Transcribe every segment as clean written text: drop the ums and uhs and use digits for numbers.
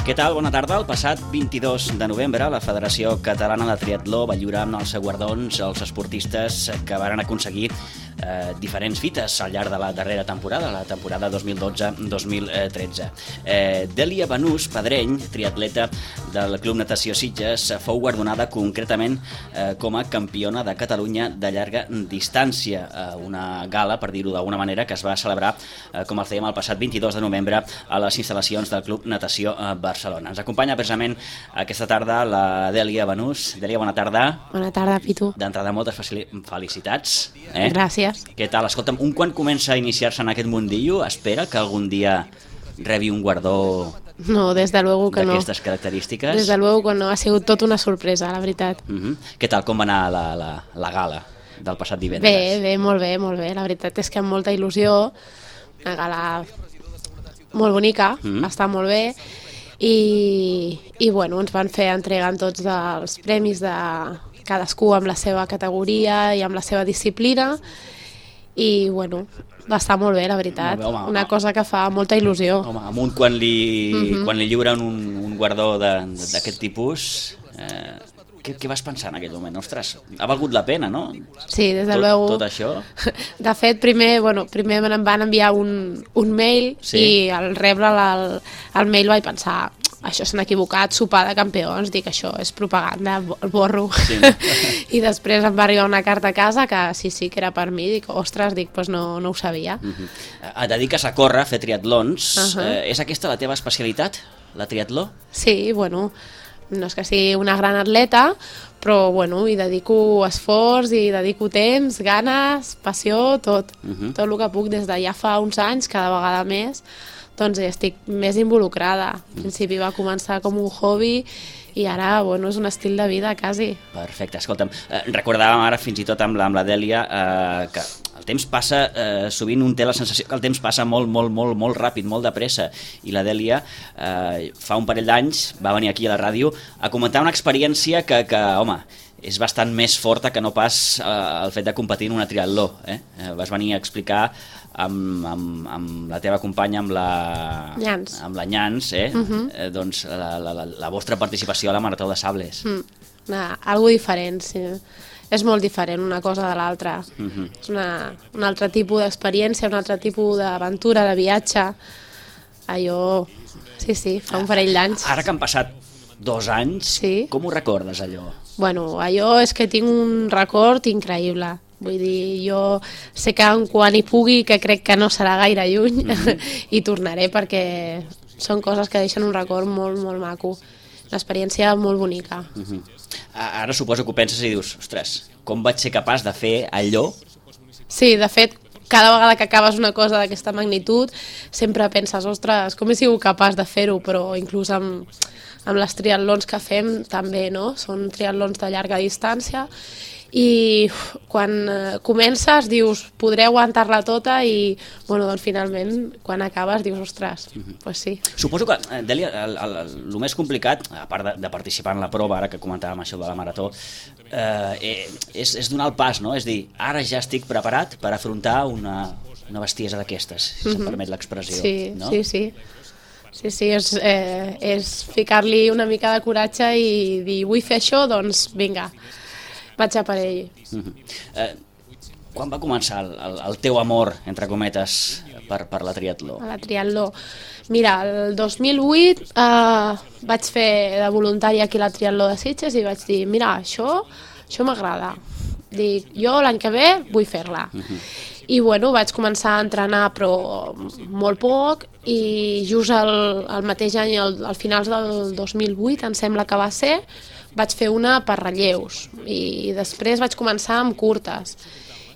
Què tal? Bona tarda. El passat 22 de novembre la Federació Catalana de Triatló va lliurar amb els guardons als esportistes que varen aconseguir diferents fites al llarg de la darrera temporada, la temporada 2012-2013. Dèlia Banús Pedreny, triatleta del Club Natació Sitges, fou guardonada concretament com a campiona de Catalunya de llarga distància. Una gala, per dir-ho d'alguna manera, que es va celebrar, com els dèiem, el passat 22 de novembre a les instal·lacions del Club Natació Barcelona. Ens acompanya precisament aquesta tarda la Dèlia Banús. Dèlia, bona tarda. Bona tarda, Pitu. D'entrada, moltes felicitats. Gràcies. Què tal? Escolta'm, un quan comença a iniciar-se en aquest mundillo, espera que algun dia rebi un guardó no, desde luego que d'aquestes característiques? Desde luego que no, ha sigut tot una sorpresa, la veritat. Què tal, com va anar la gala del passat divendres? Bé, molt bé, molt bé. La veritat és que amb molta il·lusió, una gala molt bonica, està molt bé, i bueno, ens van fer entregant tots els premis de cadascú amb la seva categoria i amb la seva disciplina, i bueno, va estar molt bé, la veritat. Molt bé, home, una cosa que fa molta il·lusió. Home, amunt quan li lliuren un guardó d'aquest tipus, què vas pensar en aquell moment? Ostres, ha valgut la pena, no? Sí, des de luego. Tot això? De fet, primer em van enviar un mail, sí. I al rebre el mail vaig pensar, això s'han equivocat, sopar de campions, dic, això és propaganda, el borro. Sí, no? I després em va arribar una carta a casa que sí, que era per mi, dic, ostres, pues no ho sabia. Et dediques a córrer, a fer triatlons. És aquesta la teva especialitat, la triatló? Sí, bueno, no és que sigui una gran atleta, però bueno, hi dedico esforç, hi dedico temps, ganes, passió, tot. Tot el que puc des de ja fa uns anys, cada vegada més, doncs estic més involucrada. Al principi va començar com un hobby i ara, bueno, és un estil de vida, quasi. Perfecte, escolta'm, recordàvem ara fins i tot amb la Dèlia que el temps passa, sovint un té la sensació que el temps passa molt ràpid, molt de pressa, i la Dèlia fa un parell d'anys va venir aquí a la ràdio a comentar una experiència que home, és bastant més forta que no pas el fet de competir en una triatló. Vas venir a explicar amb la teva companya, amb la Nyans, doncs la vostra participació a la Marató de Sables. Algo diferent, sí. És molt diferent una cosa de l'altra. És un altre tipus d'experiència, un altre tipus d'aventura, de viatge. Allò, sí, fa un parell d'anys. Ara que han passat 2 anys, com ho recordes, allò? Bueno, allò és que tinc un record increïble. Vull dir, jo sé que quan hi pugui, que crec que no serà gaire lluny, hi tornaré perquè són coses que deixen un record molt maco. Una experiència molt bonica. Ara suposo que ho penses i dius, ostres, com vaig ser capaç de fer allò? Sí, de fet, cada vegada que acabes una cosa d'aquesta magnitud, sempre penses, ostres, com he sigut capaç de fer-ho, però inclús amb les triatlons que fem també, no? Són triatlons de llarga distància, i quan comences dius, podré aguantar-la tota, i bueno, doncs finalment quan acabes dius, ostres, doncs sí. Suposo que, Dèlia, el més complicat, a part de participar en la prova, ara que comentàvem això de la marató, és donar el pas, no? És dir, ara ja estic preparat per afrontar una bestiesa d'aquestes, si se'm permet l'expressió. No? Sí, és ficar-li una mica de coratge i dir, vull fer això, doncs vinga, vaig a per ell. Quan va començar el teu amor, entre cometes, per la triatló? La triatló. Mira, el 2008 vaig fer de voluntària aquí a la triatló de Sitges i vaig dir, mira, això m'agrada. Dic, jo l'any que ve vull fer-la. I bueno, vaig començar a entrenar però molt poc, i just el mateix any, al finals del 2008, em sembla que va ser, vaig fer una per relleus i després vaig començar amb curtes.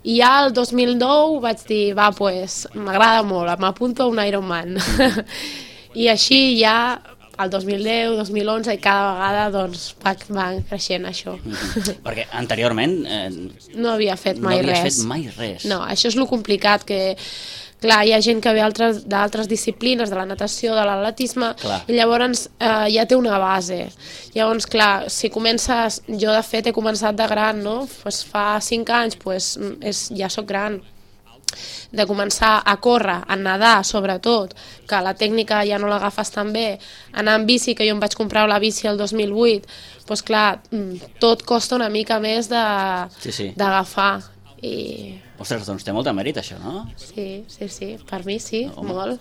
I ja el 2009 vaig dir, pues m'agrada molt, m'apunto a un Ironman. I així ja el 2010, 2011 i cada vegada doncs va creixent això. Perquè anteriorment no havia fet mai res. No havies fet mai res. No, això és lo complicat, que clar, hi ha gent que ve d'altres disciplines, de la natació, de l'atletisme, i llavors ja té una base. Llavors, clar, si comences, jo de fet he començat de gran, no? Pues fa 5 anys, pues, ja soc gran. de començar a córrer, a nedar sobretot, que la tècnica ja no l'agafes tan bé, anar en bici, que jo em vaig comprar la bici el 2008, doncs clar, tot costa una mica més d'agafar. Ostres, doncs té molt de mèrit això, no? Sí, per mi sí, molt.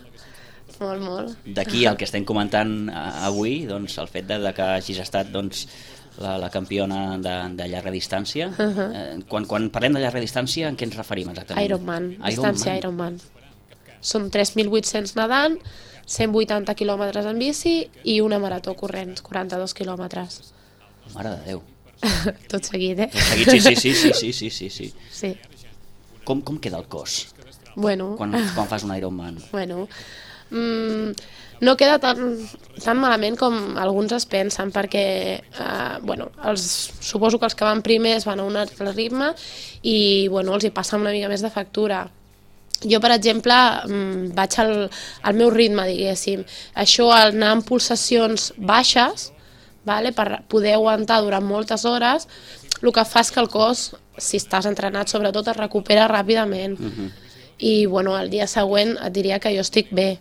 D'aquí el que estem comentant avui, doncs el fet de que hagis estat la campiona de llarga distància. Quan parlem de llarga distància, en què ens referim exactament? Ironman, distància Ironman. Són 3.800 nedant, 180 quilòmetres en bici i una marató corrents, 42 quilòmetres. Mare de Déu. Tot seguit, Tot seguit, sí. Com queda el cos quan fas un Ironman? Bueno, no queda tan malament com alguns es pensen, perquè suposo que els que van primers van a un altre ritme i els hi passa una mica més de factura. Jo, per exemple, vaig al meu ritme, diguéssim. Això, al anar en pulsacions baixes, per poder aguantar durant moltes hores, el que fa és que el cos, si estàs entrenat sobretot, es recupera ràpidament. I el dia següent et diria que jo estic bé.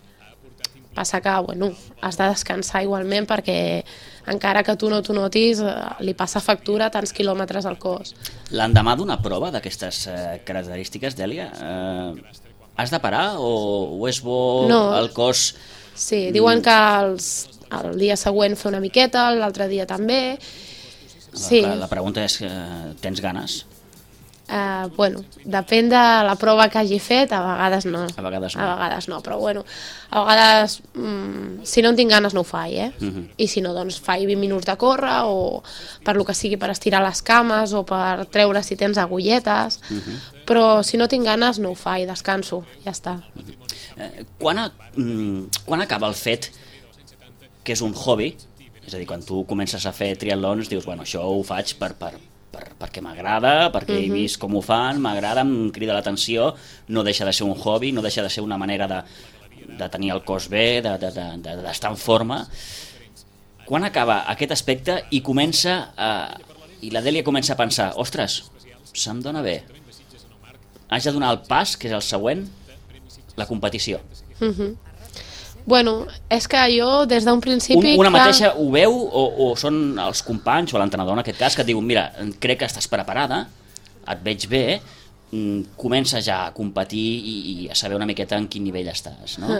Passa que has de descansar igualment, perquè encara que tu no t'ho notis, li passa factura tants quilòmetres al cos. L'endemà d'una prova d'aquestes característiques, Dèlia, has de parar o és bo el cos? Sí, diuen que el dia següent fer una miqueta, l'altre dia també. La pregunta és, tens ganes? Depèn de la prova que hagi fet, a vegades no. A vegades no, però a vegades, si no en tinc ganes no ho faig, I si no, doncs faig 20 minuts de córrer, o per lo que sigui, per estirar les cames, o per treure si tens agulletes, però si no tinc ganes no ho faig, descanso, ja està. Quan acaba el fet que és un hobby? És a dir, quan tu comences a fer triatlons, dius, això ho faig perquè m'agrada, perquè he vist com ho fan, m'agrada, em crida l'atenció, no deixa de ser un hobby, no deixa de ser una manera de tenir el cos bé, d'estar en forma. Quan acaba aquest aspecte i la Dèlia comença a pensar, ostres, se'm dona bé, haig de donar el pas, que és el següent, la competició. És que jo des d'un principi... Una mateixa ho veu o són els companys o l'entrenador en aquest cas que et diuen, mira, crec que estàs preparada, et veig bé, comença ja a competir i a saber una miqueta en quin nivell estàs, no?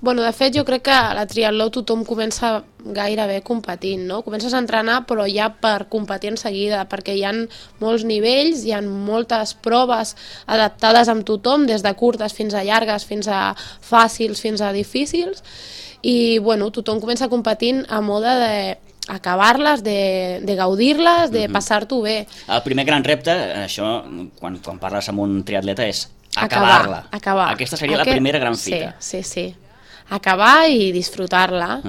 De fet, jo crec que a la triatló tothom comença gairebé competint, no? Comences a entrenar però ja per competir en seguida, perquè hi ha molts nivells, hi ha moltes proves adaptades amb tothom, des de curtes fins a llargues, fins a fàcils, fins a difícils, i tothom comença competint a mode d'acabar-les, de gaudir-les, de passar-t'ho bé. El primer gran repte, això, quan parles amb un triatleta, és acabar-la. Aquesta seria la primera gran fita. Sí. Acabar i disfrutar-la.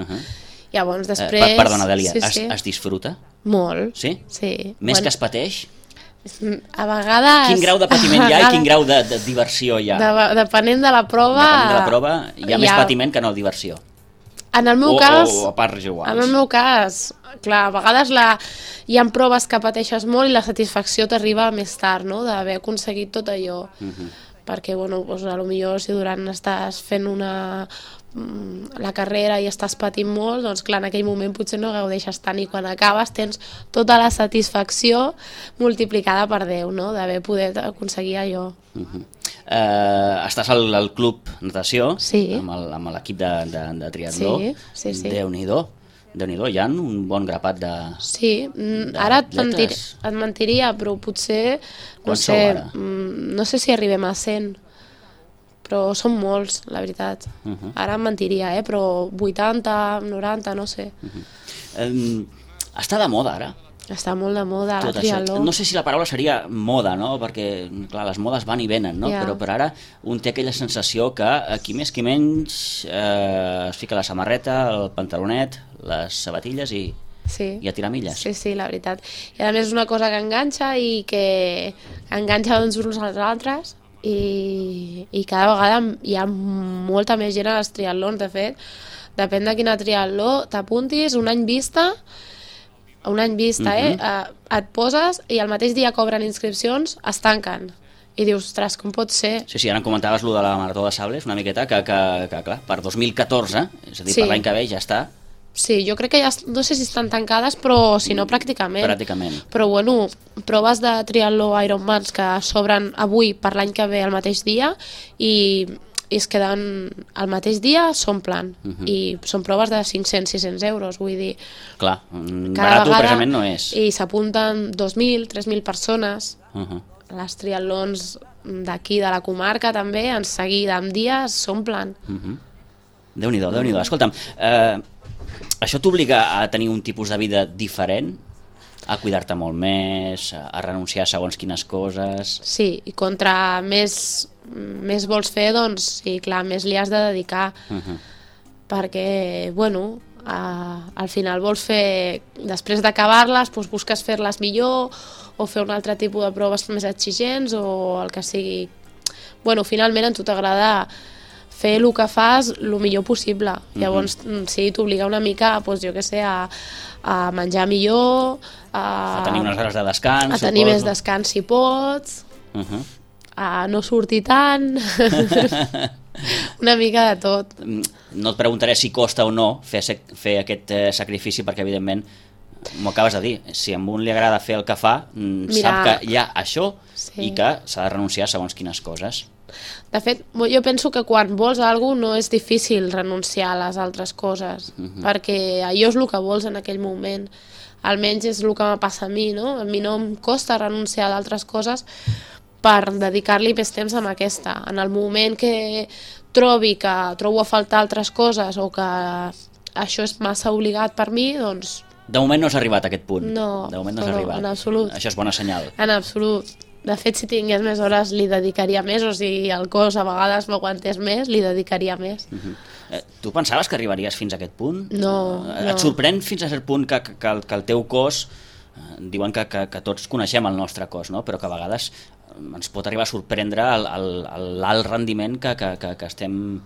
Llavors, després... Perdona, Dèlia, es disfruta? Molt. Sí? Sí. Més que es pateix? A vegades... Quin grau de patiment hi ha i quin grau de diversió hi ha? Depenent de la prova... Hi ha més patiment que no diversió. En el meu cas... O a parts iguals. En el meu cas, clar, a vegades hi ha proves que pateixes molt i la satisfacció t'arriba més tard, no?, d'haver aconseguit tot allò. Perquè, potser si durant estàs fent la carrera i estàs patint molt, doncs clar, en aquell moment potser no gaudeixes tant, i quan acabes tens tota la satisfacció multiplicada per 10, no?, d'haver pogut aconseguir allò. Estàs al club natació, sí, amb l'equip de triatló. Sí. Déu-n'hi-do, hi ha un bon grapat de... Sí, ara et mentiria, però potser, no sé si arribem a 100, però són molts, la veritat. Ara em mentiria, però 80, 90, no sé. Està de moda ara. Està molt de moda la triatló. No sé si la paraula seria moda, no? Perquè, clar, les modes van i venen, no? Però per ara un té aquella sensació que qui més qui menys es fica la samarreta, el pantalonet, les sabatilles i a tirar milles. Sí, la veritat. I a més és una cosa que enganxa i que enganxa uns als altres, i cada vegada hi ha molta més gent als triatlons. De fet, depèn de quina triatló t'apuntis, un any vista, et poses i el mateix dia que obren inscripcions es tanquen. i dius, ostres, com pot ser? Sí, ara em comentaves lo de la Marató de Sables, una miqueta, que clar, per 2014, és a dir, Sí. per l'any que ve ja està. Sí, jo crec que ja, no sé si estan tancades, però si no, pràcticament. Pràcticament. Però bueno, proves de triatló Ironmans que s'obren avui per l'any que ve el mateix dia i es queden el mateix dia, s'omplen. I són proves de 500-600 euros, vull dir... Clar, Cada barat vegada, precisament no és. I s'apunten 2.000-3.000 persones. Uh-huh. Les triatlons d'aquí, de la comarca, també, en seguida, en dies, s'omplen. Déu-n'hi-do, Déu-n'hi-do. Escolta'm, això t'obliga a tenir un tipus de vida diferent? A cuidar-te molt més, a renunciar a segons quines coses... Sí, i contra més vols fer, doncs, sí, clar, més li has de dedicar. Perquè, bueno, al final vols fer... Després d'acabar-les, doncs busques fer-les millor o fer un altre tipus de proves més exigents o el que sigui. Bueno, finalment a tu t'agrada fer el que fas el millor possible. Llavors, sí, t'obliga una mica, doncs, jo què sé, a menjar millor, a tenir unes hores de descans, a tenir més descans si pots, a no sortir tant, una mica de tot. No et preguntaré si costa o no fer aquest sacrifici, perquè evidentment m'ho acabes de dir, si a un li agrada fer el que fa, sap que hi ha això i que s'ha de renunciar a segons quines coses. De fet, jo penso que quan vols alguna cosa no és difícil renunciar a les altres coses, perquè allò és el que vols en aquell moment. Almenys és el que me passa a mi, no? A mi no em costa renunciar a d'altres coses per dedicar-li més temps a aquesta. En el moment que trobo a faltar altres coses o que això és massa obligat per mi, doncs... De moment no has arribat a aquest punt. No, de moment no has arribat. En absolut. Això és bona senyal. En absolut. De fet, si tingués més hores, li dedicaria més, o si el cos a vegades m'aguantés més, li dedicaria més. Tu pensaves que arribaries fins a aquest punt? No. Et sorprèn fins a cert punt que el teu cos, diuen que tots coneixem el nostre cos, no? Però que a vegades ens pot arribar a sorprendre l'alt rendiment que estem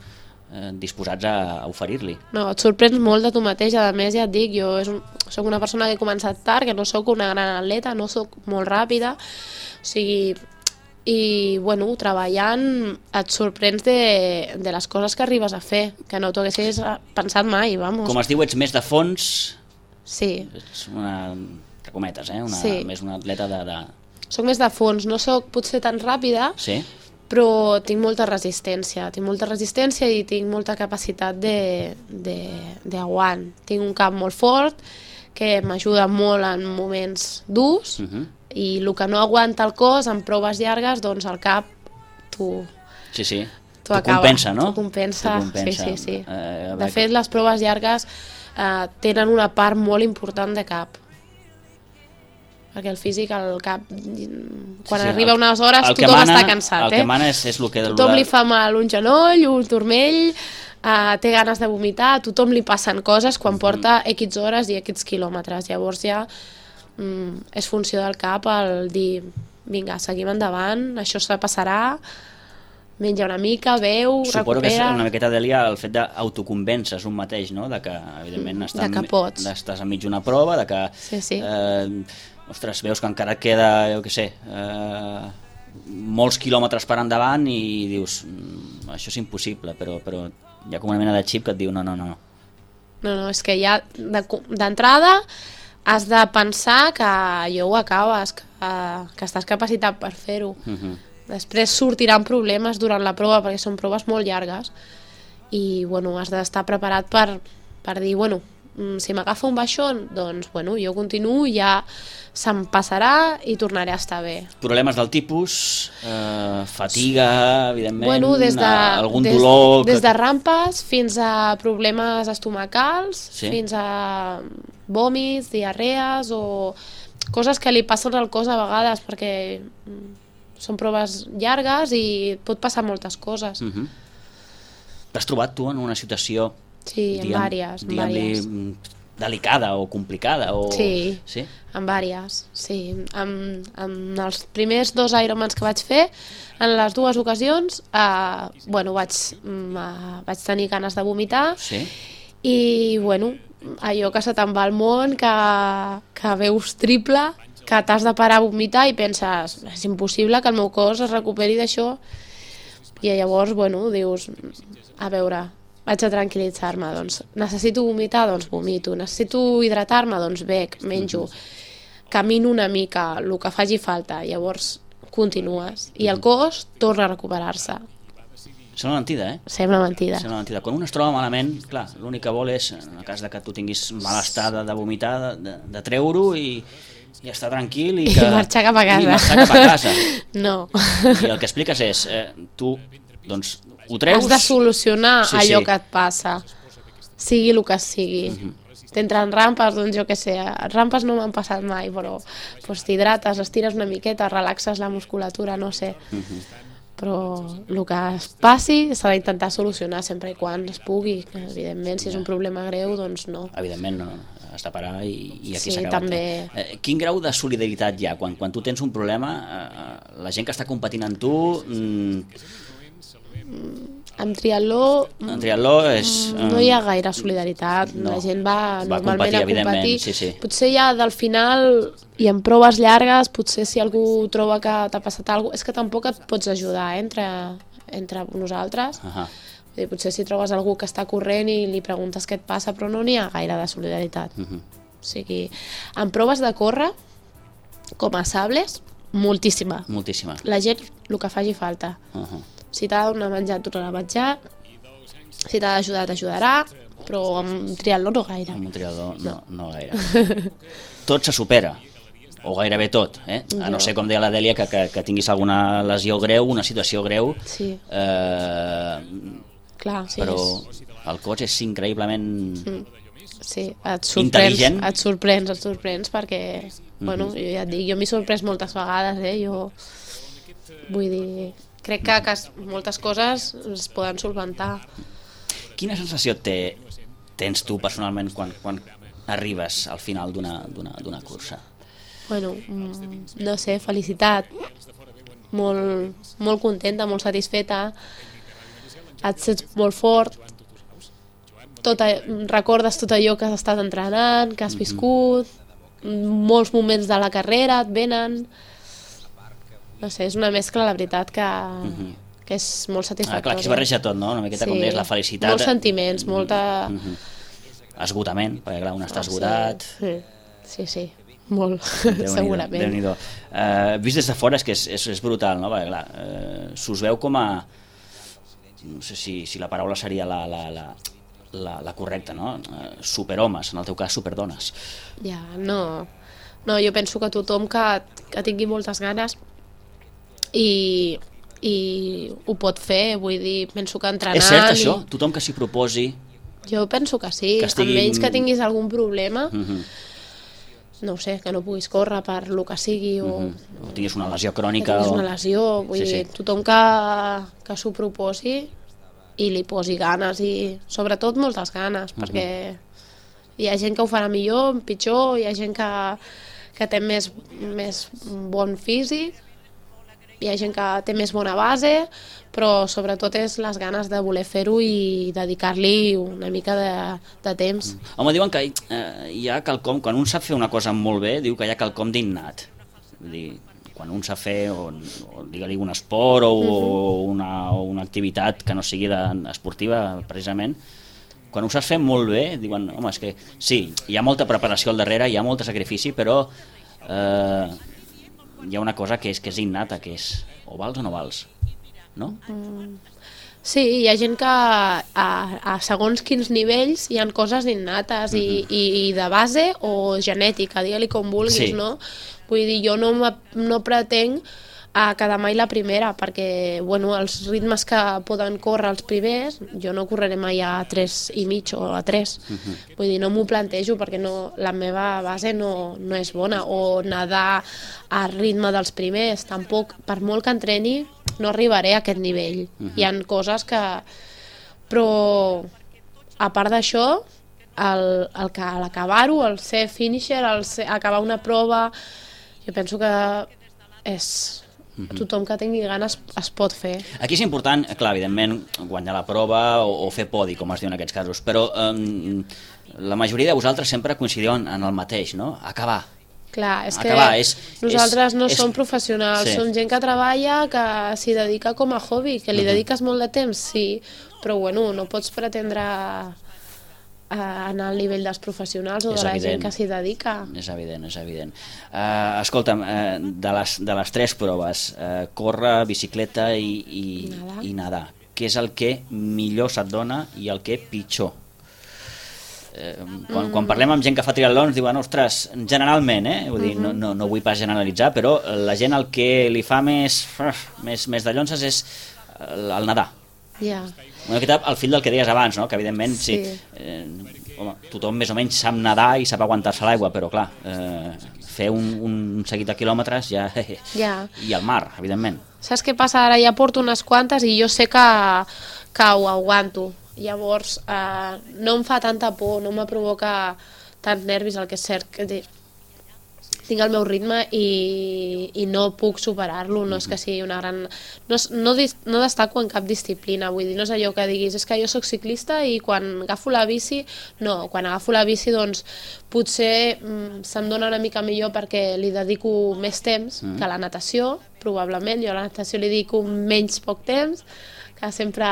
disposats a oferir-li. No, et sorprens molt de tu mateix. A més, ja et dic, jo soc una persona que he començat tard, que no sóc una gran atleta, no sóc molt ràpida, o sigui, i bueno, treballant et sorprens de les coses que arribes a fer, que no t'ho haguessis pensat mai, vamos. Com es diu, ets més de fons? Sí. Ets una, entre cometes, sí. Més una atleta de... Soc més de fons, no sóc potser tan ràpida, sí? Però tinc molta resistència i tinc molta capacitat d'aguant. Tinc un cap molt fort que m'ajuda molt en moments durs i el que no aguanta el cos en proves llargues, doncs el cap t'ho compensa, no? T'ho compensa, sí. De fet, les proves llargues tenen una part molt important de cap. Perquè el físic, el cap, quan arriba unes hores, tothom està cansat. El que mana és el que... Tothom li fa mal un genoll, un turmell, té ganes de vomitar, a tothom li passen coses quan porta X hores i X quilòmetres. Llavors ja és funció del cap el dir, vinga, seguim endavant, això se passarà, menja una mica, beu, recupera... Suposo que és una miqueta, Dèlia, el fet d'autoconvèncer un mateix, no? De que, evidentment, estàs enmig d'una prova, de que... Sí. Ostres, veus que encara et queda, jo què sé, molts quilòmetres per endavant i dius, això és impossible, però hi ha com una mena de xip que et diu no. No, és que ja d'entrada has de pensar que allò ho acabes, que estàs capacitat per fer-ho. Després sortiran problemes durant la prova perquè són proves molt llargues i bueno, has d'estar preparat per dir, bueno, si m'agafa un baixón, doncs bueno, jo continuo, ja se'm passarà i tornaré a estar bé. Problemes del tipus, fatiga, evidentment, bueno, algun dolor... Des de rampes fins a problemes estomacals, fins a vòmits, diarrees o coses que li passen al cos a vegades perquè són proves llargues i pot passar moltes coses. T'has trobat tu en una situació... Sí, en vàries. Delicada o complicada? Sí, en vàries. Sí. En els primers 2 Ironmans que vaig fer, en les 2 ocasions, vaig tenir ganes de vomitar i, bueno, allò que se te'n va al món, que veus triple, que t'has de parar a vomitar i penses, és impossible que el meu cos es recuperi d'això, i llavors, bueno, dius, a veure, vaig a tranquil·litzar-me, doncs necessito vomitar, doncs vomito, necessito hidratar-me, doncs bec, menjo, camino una mica, el que faci falta, llavors continues, i el cos torna a recuperar-se. Sembla mentida, eh? Sembla mentida. Sembla mentida. Quan un es troba malament, clar, l'únic que vol és, en el cas de que tu tinguis malestar de vomitar, de treure-ho i estar tranquil i marxar cap a casa. I marxar cap a casa. No. I el que expliques és, tu, doncs, ho treus... Has de solucionar allò que et passa, sigui el que sigui. T'entren rampes, doncs jo què sé, rampes no m'han passat mai, però t'hidrates, estires una miqueta, relaxes la musculatura, no sé. Però el que es passi s'ha d'intentar solucionar sempre i quan es pugui. Evidentment, si és un problema greu, doncs no. Evidentment, no. Has de parar i aquí sí, s'ha acabat. També... Quin grau de solidaritat hi ha? Quan tu tens un problema, la gent que està competint amb tu... En triatló és... no hi ha gaire solidaritat, no. La gent va normalment a competir. Sí. Potser ja del final i en proves llargues, potser si algú troba que t'ha passat alguna cosa, és que tampoc et pots ajudar entre nosaltres. Potser si trobes algú que està corrent i li preguntes què et passa, però no n'hi ha gaire de solidaritat. O sigui, en proves de córrer, com a sables, moltíssima. La gent, el que faci falta. Si t'ha de donar menjar, tornarà a menjar. Si t'ha d'ajudar, t'ajudarà. Però amb triatló no gaire. Amb un triatló no gaire. Tot se supera, o gairebé tot. A no ser, com deia la Dèlia, que tinguis alguna lesió greu, una situació greu. Sí. Clar, sí. Però el cos és increïblement sí, intel·ligent. Et sorprens perquè, bueno, jo ja et dic, jo m'he sorprès moltes vegades, jo vull dir... Crec que moltes coses es poden solventar. Quina sensació tens tu personalment quan arribes al final d'una cursa? Bueno, no sé, felicitat. Molt contenta, molt satisfeta. Et sents molt fort. Recordes tot allò que has estat entrenant, que has viscut. Molts moments de la carrera et venen... No sé, és una mescla, la veritat, que és molt satisfactòria. Clar, que es barreja tot, no? Una miqueta com deies, la felicitat... Molts sentiments, molta... Esgotament, perquè clar, un està esgotat... Sí, molt, segurament. Déu-n'hi-do. Vist des de fora és que és brutal, no? Perquè clar, s'us veu com a... No sé si la paraula seria la correcta, no? Superhomes, en el teu cas superdones. Ja, no, jo penso que tothom que tingui moltes ganes i ho pot fer, vull dir, penso que entrenant... És cert això? Tothom que s'hi proposi... Jo penso que sí, almenys que tinguis algun problema, no sé, que no puguis córrer per lo que sigui o tinguis una lesió crònica... Que tinguis una lesió, vull dir, tothom que s'ho proposi i li posi ganes i sobretot moltes ganes, perquè hi ha gent que ho farà millor, pitjor, hi ha gent que té més bon físic, hi ha gent que té més bona base, però sobretot és les ganes de voler fer-ho i dedicar-li una mica de temps. Home, diuen que hi ha quelcom, quan un sap fer una cosa molt bé, diu que hi ha quelcom d'innat. Vull dir, quan un sap fer, o digue-li un esport o una activitat que no sigui esportiva, precisament, quan ho saps fer molt bé, diuen, home, és que sí, hi ha molta preparació al darrere, hi ha molt sacrifici, però hi ha una cosa que és innata, que és o vals o no vals, no? Sí, hi ha gent que a segons quins nivells hi ha coses innates i de base o genètica, digue-li com vulguis, no? Vull dir, jo no pretenc quedar mai la primera, perquè bueno, els ritmes que poden córrer els primers, jo no correré mai a 3,5 o a 3. Vull dir, no m'ho plantejo perquè la meva base no és bona, o nedar al ritme dels primers, tampoc, per molt que entreni, no arribaré a aquest nivell. Hi ha coses que... Però, a part d'això, l'acabar-ho, el ser finisher, acabar una prova, jo penso que és... Tothom que tingui ganes es pot fer. Aquí és important, clar, evidentment, guanyar la prova o fer podi, com es diu en aquests casos, però la majoria de vosaltres sempre coincidiu en el mateix, no? Acabar. Clar, és que acabar. nosaltres no som professionals, sí. som gent que treballa, que s'hi dedica com a hobby, que li dediques molt de temps, sí, però bueno, no pots pretendre anar al nivell dels professionals o de la gent que s'hi dedica. És evident, és evident. Escolta'm, de les tres proves, córrer, bicicleta i nedar, què és el que millor se't dona i el que pitjor? Quan parlem amb gent que fa triatlons diuen, ostres, generalment, vull dir, no vull pas generalitzar, però la gent el que li fa més de llonses és el nedar. Una miqueta al fil del que deies abans, no? Que evidentment sí. Home, tothom més o menys sap nedar i sap aguantar-se l'aigua, però clar, fer un seguit de quilòmetres ja. I al mar, evidentment. Saps què passa? Ara ja porto unes quantes i jo sé que ho aguanto. Llavors no em fa tanta por, no me provoca tant nervis, el que és cert que tinc el meu ritme i no puc superar-lo, no és que sigui una gran... No destaco en cap disciplina, vull dir, no és allò que diguis, és que jo sóc ciclista i quan agafo la bici, no, quan agafo la bici doncs potser se'm dona una mica millor perquè li dedico més temps que a la natació, probablement, jo a la natació li dedico menys poc temps, que sempre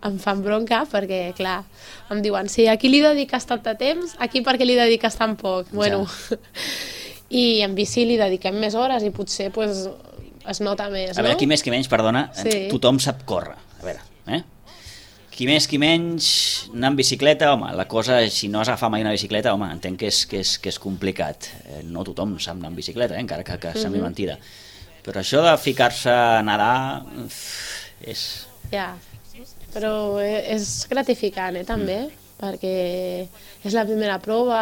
em fan bronca perquè, clar, em diuen sí, aquí li dediques tant de temps, aquí perquè li dediques tan poc. Bueno, i en bici li dediquem més hores i potser pues, es nota més, no? A veure, qui més qui menys, perdona, tothom sap córrer. A veure, qui més qui menys, anar amb bicicleta, home, la cosa, si no has agafat mai una bicicleta, home, entenc que és complicat. No tothom sap anar amb bicicleta, encara que sembli mentida. Però això de ficar-se a nedar és... Ja, però és gratificant, també, perquè és la primera prova...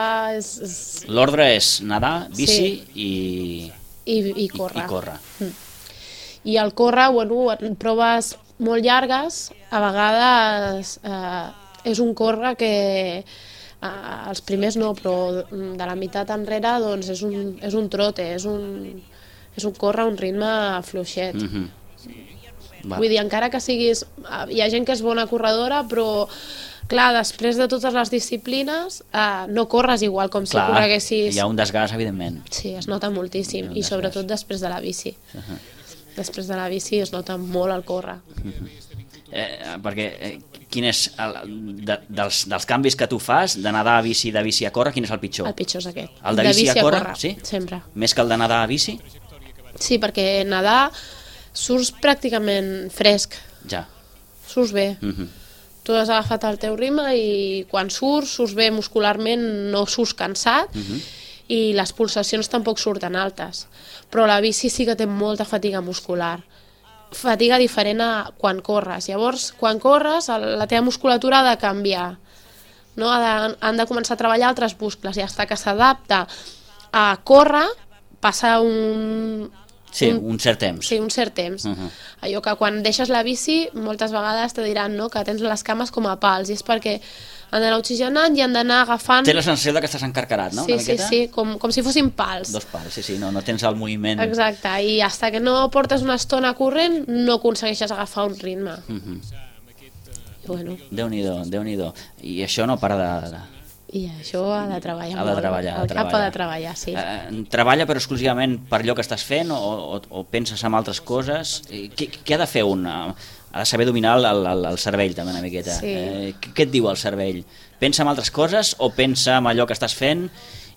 L'ordre és nedar, bici i córrer. I córrer. I el córrer, bueno, en proves molt llargues, a vegades és un córrer que els primers no, però de la meitat enrere doncs és un trote, és un córrer a un ritme fluixet. Vull dir, encara que siguis... Hi ha gent que és bona corredora, però, clar, després de totes les disciplines, no corres igual com si correguessis... Hi ha un desgast, evidentment. Sí, es nota moltíssim, i sobretot després de la bici. Després de la bici es nota molt el córrer. Perquè quin és, dels canvis que tu fas, de nedar a bici, de bici a córrer, quin és el pitjor? El pitjor és aquest. El de bici a córrer? Sí? Sempre. Més que el de nedar a bici? Sí, perquè nedar... surts pràcticament fresc. Ja. Surts bé. Tu has agafat el teu ritme i quan surts bé muscularment, no surts cansat i les pulsacions tampoc surten altes. Però la bici sí que té molta fatiga muscular. Fatiga diferent a quan corres. Llavors, quan corres, la teva musculatura ha de canviar. No? Han de començar a treballar altres muscles i fins que s'adapta a córrer, passa un cert temps. Sí, un cert temps. Allò que quan deixes la bici, moltes vegades te diran que tens les cames com a pals, i és perquè han d'anar oxigenant i han d'anar agafant... Té la sensació que estàs encarcarat, no? Sí, com si fossin pals. Dos pals, sí, no tens el moviment... Exacte, i fins que no portes una estona corrent no aconsegueixes agafar un ritme. Bueno. Déu-n'hi-do. I això no para de... I això ha de treballar molt. El cap ha de treballar, sí. Treballa però exclusivament per allò que estàs fent o penses en altres coses? Què ha de fer un? Ha de saber dominar el cervell també una miqueta. Què et diu el cervell? Pensa en altres coses o pensa en allò que estàs fent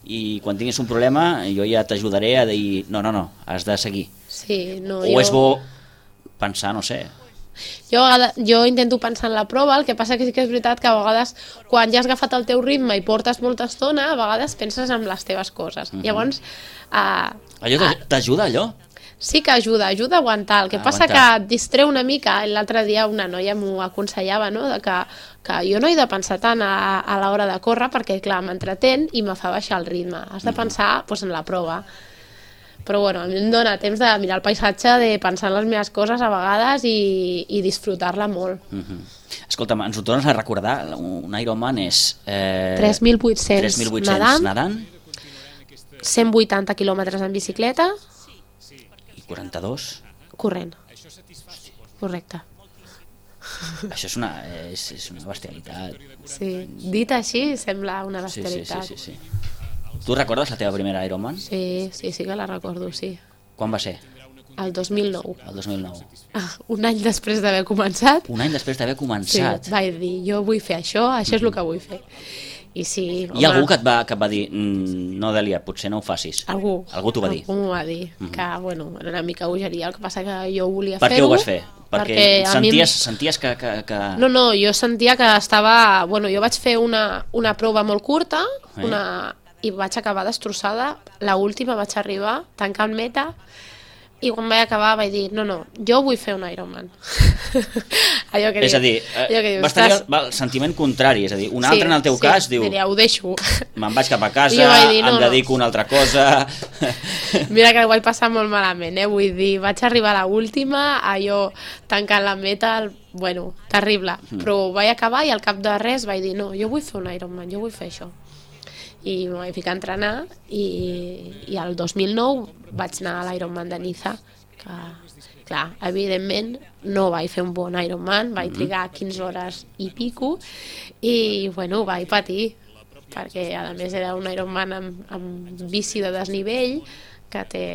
i quan tinguis un problema jo ja t'ajudaré a dir no, has de seguir? O és bo pensar, no sé... Jo intento pensar en la prova, el que passa que sí que és veritat que a vegades quan ja has agafat el teu ritme i portes molta estona, a vegades penses en les teves coses. Llavors... Allò t'ajuda, allò? Sí que ajuda a aguantar. El que passa que et distreu una mica. L'altre dia una noia m'ho aconsellava, no? Que jo no he de pensar tant a l'hora de córrer perquè, clar, m'entretén i me fa baixar el ritme. Has de pensar en la prova. Però bueno, a mi em dona temps de mirar el paisatge, de pensar en les meves coses a vegades i disfrutar-la molt. Escolta'm, ens ho tornes a recordar, un Ironman és... 3.800 nedant, 180 quilòmetres en bicicleta... I 42? Corrent. Correcte. Això és una bestialitat. Sí, dit així sembla una bestialitat. Sí. Tu recordes la teva primera Ironman? Sí que la recordo, sí. Quan va ser? El 2009. El 2009. Un any després d'haver començat. Un any després d'haver començat. Sí, vaig dir, jo vull fer això és el que vull fer. I sí, home, Hi ha algú que et va dir, no, Dèlia, potser no ho facis? Algú t'ho va dir? Algú m'ho va dir, que bueno, era una mica bogeria, el que passa que jo volia fer-ho. Per què ho vas fer? Perquè senties que... No, jo sentia que estava... Bueno, jo vaig fer una prova molt curta, i vaig acabar destrossada. L'última vaig arribar tancant meta, i quan vaig acabar vaig dir, no, jo vull fer un Ironman. Allò que és a dir, vas tenir el sentiment contrari, és a dir, un altre en el teu cas diu, diria, ho deixo. Me'n vaig cap a casa, em dedico a una altra cosa... Mira que ho vaig passar molt malament, vull dir, vaig arribar a l'última, allò tancant la meta, bueno, terrible, però vaig acabar i al cap de res vaig dir, no, jo vull fer un Ironman, jo vull fer això. I em vaig ficar a entrenar i el 2009 vaig anar a l'Ironman de Niza, que, clar, evidentment no vaig fer un bon Ironman, vaig trigar 15 hores i pico i, bueno, vaig patir, perquè a més era un Ironman amb bici de desnivell, que té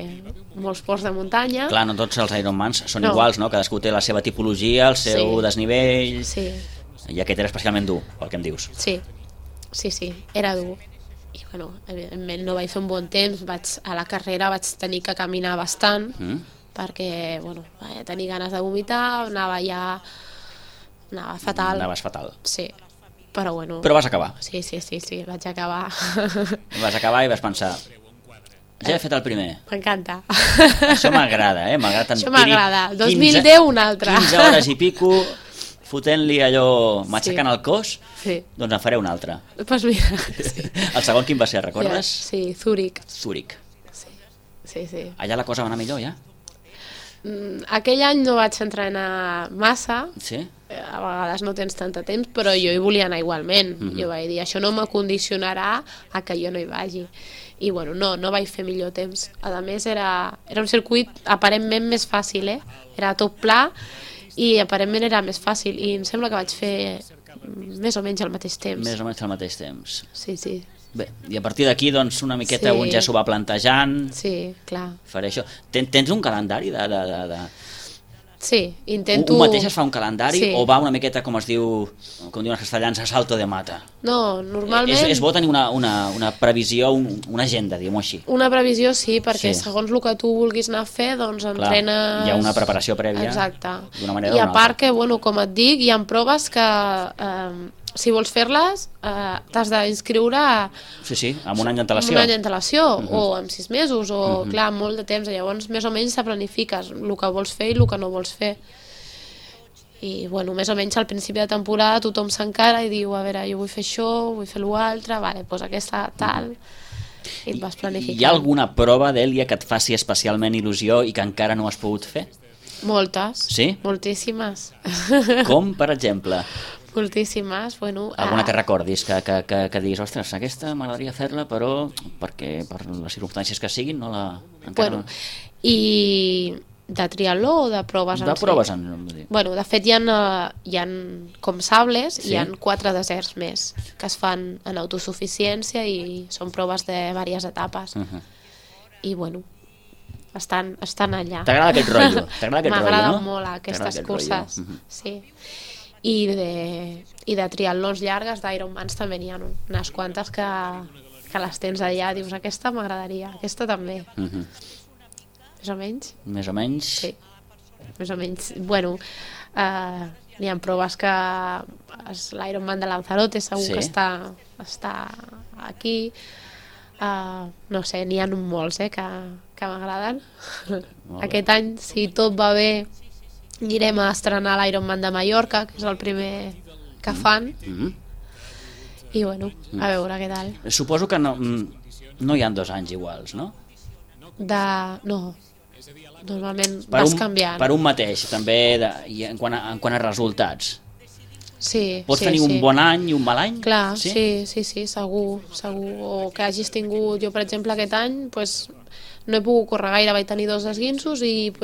molts ports de muntanya. Clar, no tots els Ironmans són iguals, no? Cadascú té la seva tipologia, el seu desnivell... Sí. I aquest era especialment dur, pel que em dius. Sí, era dur. I, bueno, evidentment no vaig fer un bon temps, a la carrera vaig tenir que caminar bastant, perquè, bueno, vaig tenir ganes de vomitar, anava fatal. Anaves fatal. Sí, però bueno... Però vas acabar. Sí, vaig acabar. Vas acabar i vas pensar, ja he fet el primer. M'encanta. Això m'agrada, m'agrada tant. Això m'agrada. 2010 un altre. 15 hores i pico, fotent-li allò, matxacant el cos, doncs en faré un altre. Doncs mira, sí. El segon quin va ser, recordes? Sí, Zúrich. Sí. Allà la cosa va anar millor, ja? Aquell any no vaig entrenar massa, sí? A vegades no tens tant de temps, però jo hi volia anar igualment. Jo vaig dir, això no m'acondicionarà a que jo no hi vagi. I bueno, no vaig fer millor temps. A més, era un circuit aparentment més fàcil, era tot pla, i aparentment era més fàcil, i em sembla que vaig fer més o menys al mateix temps. Més o menys al mateix temps. Sí. Bé, i a partir d'aquí, doncs, una miqueta un ja s'ho va plantejant. Sí, clar. Faré això. Tens un calendari de... Sí, intento... Un mateix es fa un calendari o va una miqueta, com es diu, com diuen els castellans, a salto de mata? No, normalment... És bo tenir una previsió, una agenda, diguem-ho així. Una previsió sí, perquè segons el que tu vulguis anar a fer, doncs entrenes... Hi ha una preparació prèvia. Exacte. D'una manera o d'una altra. I a part que, bueno, com et dic, hi ha proves que... si vols fer-les, t'has d'inscriure... Sí, amb un any d'antelació. Amb un any d'antelació, o amb 6 mesos, o clar, molt de temps. Llavors, més o menys te planifiques el que vols fer i el que no vols fer. I, bueno, més o menys al principi de temporada tothom s'encara i diu, a veure, jo vull fer això, vull fer l'altre, vale, doncs aquesta tal... I et vas planificant. Hi ha alguna prova, Dèlia, que et faci especialment il·lusió i que encara no has pogut fer? Moltes. Sí? Moltíssimes. Com, per exemple? Moltíssimes, bueno... Alguna que recordis, que diguis, ostres, aquesta m'agradaria fer-la, però perquè per les circumstàncies que siguin no la... Bueno, i de triatló o de proves en si? De proves en si. Bueno, de fet hi ha com sables, hi ha 4 deserts més que es fan en autosuficiència i són proves de diverses etapes. I bueno, estan allà. T'agrada aquest rotllo? M'agraden molt aquestes curses, sí. I de triatlons llargues, d'Ironmans també n'hi ha unes quantes que les tens allà, dius, aquesta m'agradaria, aquesta també. Més o menys? Més o menys? Sí, més o menys. Bueno, n'hi ha proves que l'Ironman de Lanzarote segur que està aquí. No sé, n'hi ha molts que m'agraden. Aquest any, si tot va bé, anirem a estrenar l'Ironman de Mallorca, que és el primer que fan. I bueno, a veure què tal. Suposo que no hi ha 2 anys iguals, no? No, normalment vas canviant. Per un mateix, també en quant a resultats. Sí, Pots tenir un bon any i un mal any? Clar, sí, segur. O que hagis tingut, jo per exemple aquest any no he pogut córrer gaire, vaig tenir 2 esguinços i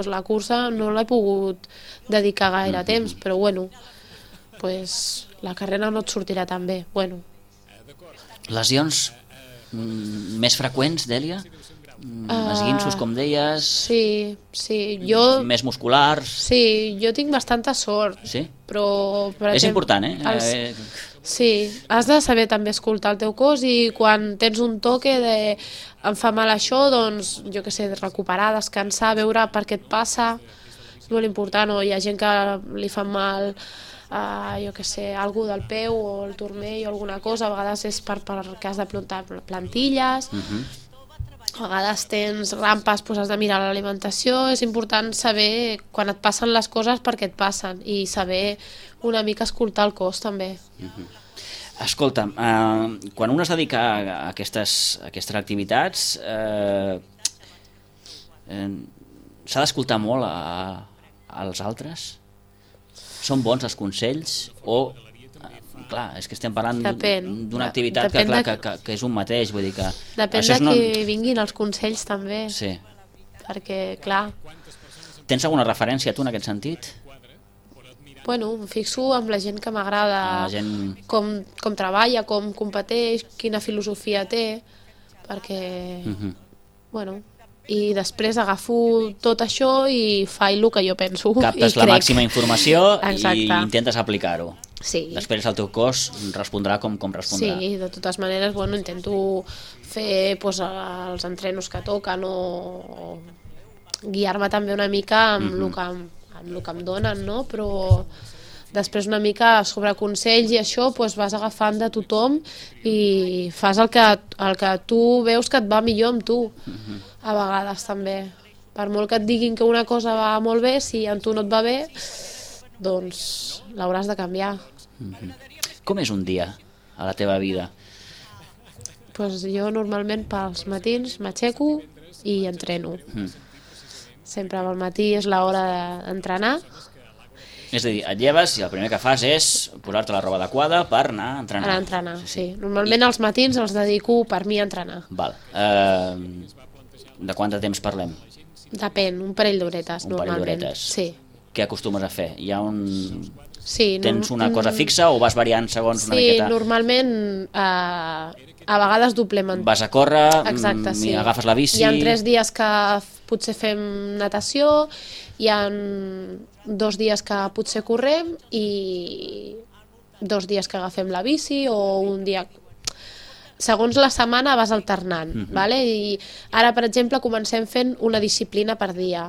la cursa no l'he pogut dedicar gaire temps, però bueno, la carrera no et sortirà tan bé. Bueno. Lesions Més freqüents, Dèlia? Esguinços, com deies? Sí, jo... Més musculars? Sí, jo tinc bastanta sort. Sí? Però, per És exemple, important, Sí, has de saber també escoltar el teu cos i quan tens un toque de em fa mal això, doncs, jo què sé, recuperar, descansar, veure per què et passa, és molt important, o hi ha gent que li fa mal, jo què sé, algú del peu o el turmell o alguna cosa, a vegades és perquè has de plantar plantilles, a vegades tens rampes, doncs has de mirar l'alimentació, és important saber quan et passen les coses per què et passen i saber una mica escoltar el cos també. Escolta'm, quan un es dedica a aquestes activitats, s'ha d'escoltar molt als altres? Són bons els consells? O, clar, és que estem parlant d'una activitat que és un mateix, vull dir que... Depèn de qui vinguin els consells també. Sí. Perquè, clar... Tens alguna referència tu en aquest sentit? Bueno, em fixo amb la gent que m'agrada, com treballa, com competeix, quina filosofia té, perquè, bueno, i després agafo tot això i faig el que jo penso. Captes la màxima informació i intentes aplicar-ho. Sí. Després el teu cos respondrà com respondrà. Sí, de totes maneres, bueno, intento fer els entrenos que toquen o guiar-me també una mica amb el que em donen, no? Però després una mica sobre consells i això vas agafant de tothom i fas el que tu veus que et va millor amb tu, a vegades també. Per molt que et diguin que una cosa va molt bé, si amb tu no et va bé, doncs l'hauràs de canviar. Com és un dia a la teva vida? Jo normalment pels matins m'aixeco i entreno. Sempre al matí és l'hora d'entrenar. És a dir, et lleves i el primer que fas és posar-te la roba adequada per anar a entrenar. Anar a entrenar, sí. Normalment els matins els dedico per mi a entrenar. Val. De quant de temps parlem? Depèn, un parell d'horetes, normalment. Un parell d'horetes. Sí. Què acostumes a fer? Hi ha un... Sí, tens una cosa fixa o vas variant segons una miqueta? Sí, normalment a vegades doblem. Vas a córrer, exacte, sí. Agafes la bici... Hi ha 3 dies que potser fem natació, hi ha 2 dies que potser correm i 2 dies que agafem la bici o un dia... Segons la setmana vas alternant, vale? I ara, per exemple, comencem fent una disciplina per dia.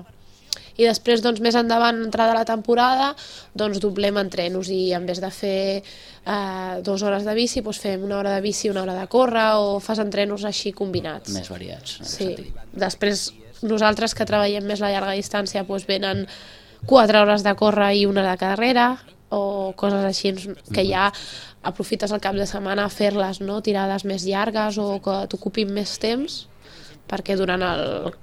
I després, doncs, més endavant, entrada la temporada, doncs doblem entrenos i en vez de fer 2 hores de bici, doncs fem 1 hora de bici i 1 hora de córrer o fas entrenos així combinats. Més variats. Sí. Després, nosaltres que treballem més la llarga distància, doncs venen 4 hores de córrer i 1 de carrera o coses així que ja aprofites el cap de setmana a fer-les, no? Tirades més llargues o que t'ocupin més temps, perquè durant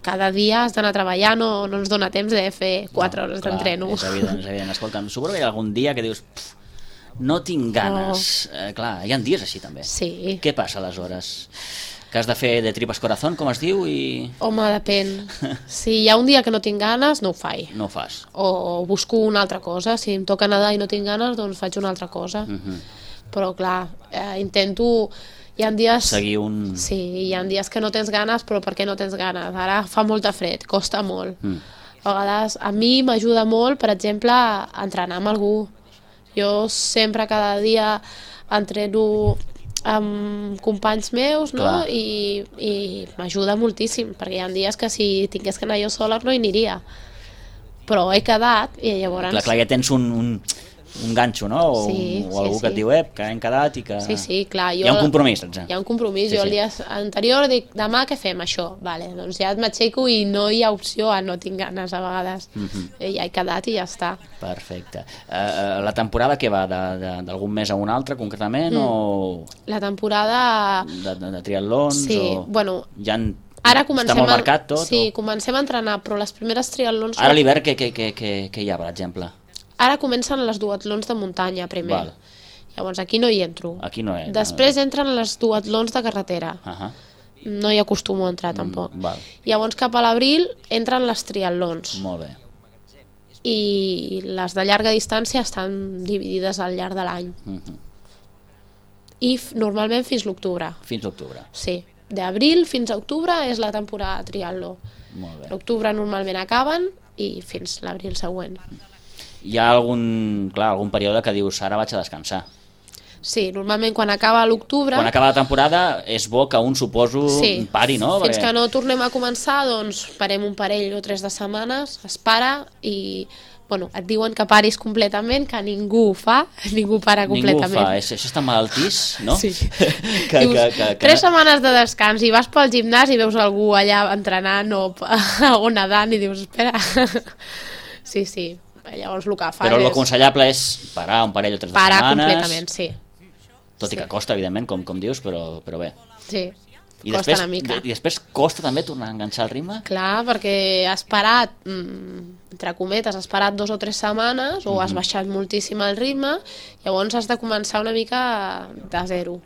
cada dia has d'anar treballant o no ens dona temps de fer 4 hores d'entreno. És evident, és evident. Escolta'm, suposo que hi ha algun dia que dius no tinc ganes. Clar, hi ha dies així també. Sí. Què passa aleshores? Que has de fer de tripas corazón, com es diu? Home, depèn. Si hi ha un dia que no tinc ganes, no ho faig. No ho fas. O busco una altra cosa. Si em toca nedar i no tinc ganes, doncs faig una altra cosa. Però clar, intento... Hi ha dies... Seguir un... Sí, hi ha dies que no tens ganes, però per què no tens ganes? Ara fa molta fred, costa molt. A vegades, a mi m'ajuda molt, per exemple, a entrenar amb algú. Jo sempre, cada dia, entreno amb companys meus, no? I m'ajuda moltíssim, perquè hi ha dies que si tingués que anar jo sola no hi aniria. Però he quedat i llavors... Clar, ja tens un ganxo, no? O algú que et diu, que hem quedat i que... Sí, clar. Hi ha un compromís, Hi ha un compromís. Jo el dia anterior dic, demà què fem, això? Vale, doncs ja m'aixeco i no hi ha opció a no tinc ganes a vegades. Ja he quedat i ja està. Perfecte. La temporada què va? D'algun mes a un altre, concretament? O... La temporada... De triatlons? Sí, bueno... Ara comencem està molt marcat tot? Sí, comencem a entrenar, però les primeres triatlons... Ara a l'hivern què hi ha, per exemple? Ara comencen les duatlons de muntanya, primer. Llavors, aquí no hi entro. Aquí no hi entro. Després entren les duatlons de carretera. No hi acostumo a entrar, tampoc. Llavors, cap a l'abril, entren les triatlons. Molt bé. I les de llarga distància estan dividides al llarg de l'any. I normalment fins l'octubre. Fins l'octubre. Sí. d'abril fins a octubre és la temporada de triatló. Molt bé. L'octubre normalment acaben i fins l'abril següent. Hi ha algun període que dius ara vaig a descansar. Sí, normalment quan acaba l'octubre... Quan acaba la temporada és bo que un, suposo, pari, no? Fins que no tornem a començar, doncs parem un parell o 3 de setmanes, es para i... Bueno, et diuen que paris completament, que ningú ho fa, ningú para completament. Ningú ho fa, això està malaltís, no? Sí. Dius, 3 setmanes de descans i vas pel gimnàs i veus algú allà entrenant o nedant i dius, espera... Sí, llavors el que fa Però l'aconsellable és parar un parell o 3 de setmanes... Parar completament, sí. Tot i que costa, evidentment, com dius, però bé. Sí, I costa una mica. I després costa també tornar a enganxar el ritme? Clar, perquè has parat, entre cometes, has parat 2 o 3 setmanes o has baixat moltíssim el ritme, llavors has de començar una mica de zero.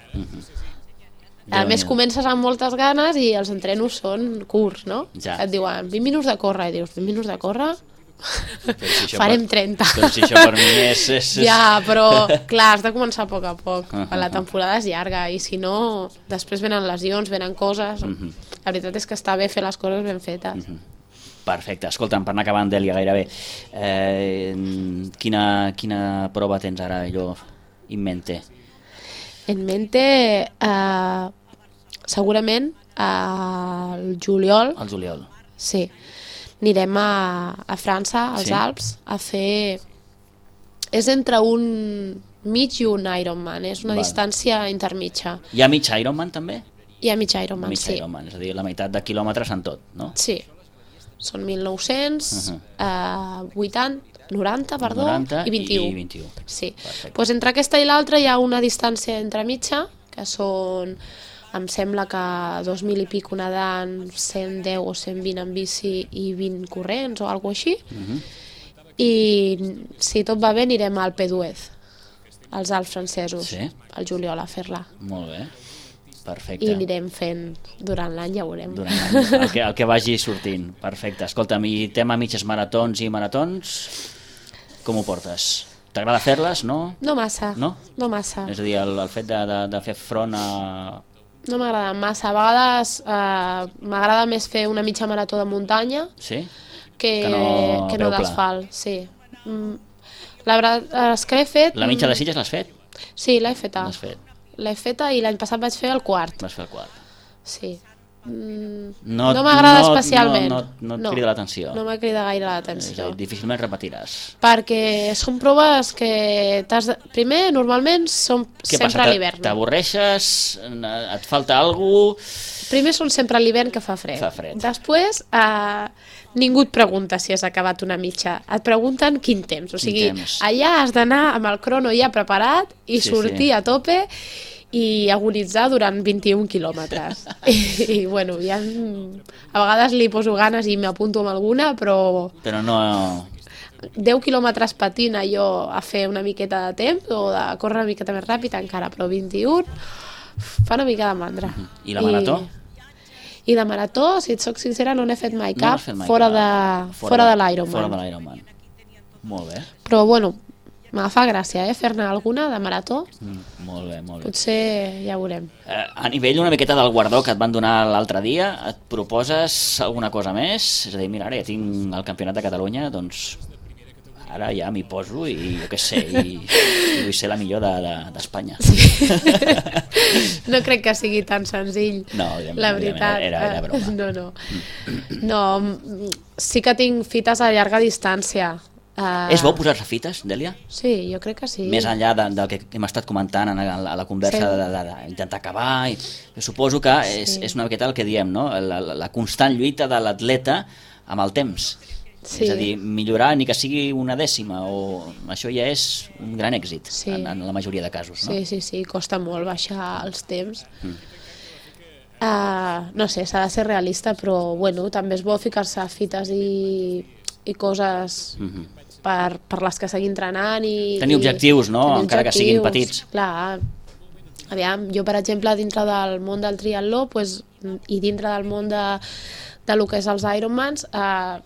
A més, comences amb moltes ganes i els entrenos són curts, no? Ja. Et diuen 20 minuts de córrer i dius, 20 minuts de córrer? Farem 30. Però si això per mi és... Ja, però clar, has de començar a poc a poc. La temporada és llarga i si no, després venen lesions, venen coses. La veritat és que està bé fer les coses ben fetes. Perfecte. Escolta'm, per anar acabant, Dèlia, gairebé. Quina prova tens ara, allò, in mente? En mente, segurament, al juliol. Al juliol. Sí. Anirem a França, als Alps, a fer... És entre un mig i un Ironman, és una distància intermitja. Hi ha mig Ironman, també? Hi ha mig Ironman, sí. Mig Ironman, és a dir, la meitat de quilòmetres en tot, no? Sí. Són 1.900, 90, perdó, 90 i 21. I 21. Sí. Pues entre aquesta i l'altra hi ha una distància entremitja, que són... Em sembla que 2.000 i pico nedant, 110 o 120 en bici i 20 corrents o alguna cosa així. I si tot va bé anirem al Alpe d'Huez, als Alps francesos, al juliol a fer-la. Molt bé, perfecte. I anirem fent durant l'any, ja veurem. Durant l'any, el que vagi sortint. Perfecte. Escolta'm, i tema mitges maratons i maratons, com ho portes? T'agrada fer-les, no? No massa. No? No massa. És a dir, el fet de fer front a... No m'agrada massa. A vegades m'agrada més fer una mitja marató de muntanya que no d'asfalt. Sí. La veritat, les que l'he fet... La mitja de Sitges l'has fet? Sí, l'he feta. L'he feta i l'any passat vaig fer el quart. Vas fer el quart. Sí. No m'agrada especialment. No et crida l'atenció. No m'ha cridat gaire l'atenció. Difícilment repetiràs. Perquè són proves que primer, normalment, són sempre a l'hivern. T'avorreixes? Et falta alguna cosa? Primer són sempre a l'hivern que fa fred. Després, ningú et pregunta si has acabat una mitja. Et pregunten quin temps. O sigui, allà has d'anar amb el crono ja preparat i sortir a tope i agonitzar durant 21 quilòmetres. I bueno, ja a vegades li poso ganes i m'apunto amb alguna, però no... 10 quilòmetres patint allò a fer una miqueta de temps o de córrer una miqueta més ràpid encara, però 21 fa una mica de mandra. I la marató? I de marató, si et soc sincera, no n'he fet mai cap fora de l'Ironman. Fora de l'Ironman. Molt bé. Però bueno, me fa gràcia, fer-ne alguna de marató. Molt bé, molt bé. Potser ja veurem. A nivell una miqueta del guardó que et van donar l'altre dia, et proposes alguna cosa més? És a dir, mira, ara ja tinc el Campionat de Catalunya, doncs ara ja m'hi poso i jo què sé, i vull ser la millor d'Espanya. Sí. No crec que sigui tan senzill, la veritat. Era broma. No, sí que tinc fites a llarga distància. És bo posar-se fites, Dèlia? Sí, jo crec que sí. Més enllà del que hem estat comentant a la conversa d'intentar acabar, suposo que és una miqueta el que diem, no? La constant lluita de l'atleta amb el temps. És a dir, millorar ni que sigui una dècima, o això ja és un gran èxit en la majoria de casos, no? Sí, costa molt baixar els temps. No sé, s'ha de ser realista, però bueno, també és bo ficar-se fites i coses per les que seguir entrenant i... Tenir objectius, no? Encara que siguin petits. Clar. Aviam, jo per exemple dintre del món del triatló i dintre del món de lo que és els Ironmans, el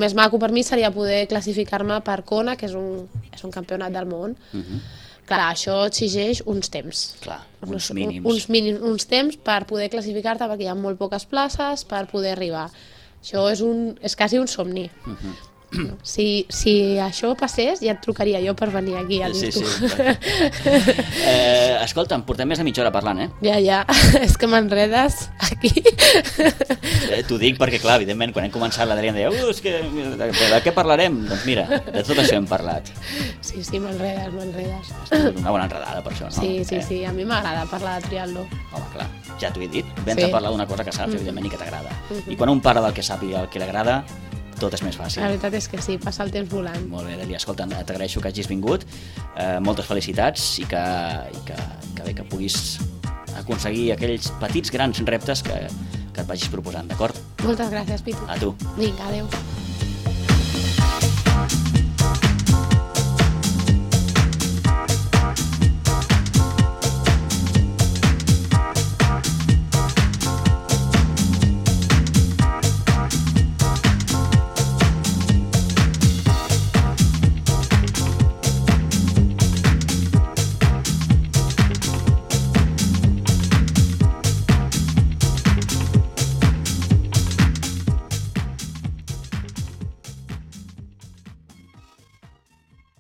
més maco per mi seria poder classificar-me per Kona, que és un campionat del món, Clar, això exigeix uns temps. Clar, uns mínims. Uns temps per poder classificar-te, perquè hi ha molt poques places per poder arribar. Això és quasi un somni. Si això passés, ja et trucaria jo per venir aquí a l'Instu. Escolta'm, portem més de mitja hora parlant, Ja, és que m'enredes aquí. T'ho dic perquè, clar, evidentment, quan hem començat l'Adrià em deia és que de què parlarem? Doncs mira, de tot això hem parlat. Sí, m'enredes. Estic una bona enredada per això, no? Sí, a mi m'agrada parlar de triatló. Home, clar, ja t'ho he dit, vens a parlar d'una cosa que saps, evidentment, i que t'agrada. I quan un parla del que sap i el que li agrada, tot és més fàcil. La veritat és que sí, passa el temps volant. Molt bé, Dèlia, escolta, t'agraeixo que hagis vingut, moltes felicitats i que bé que puguis aconseguir aquells petits grans reptes que et vagis proposant, d'acord? Moltes gràcies, Pitu. A tu. Vinga, adeu.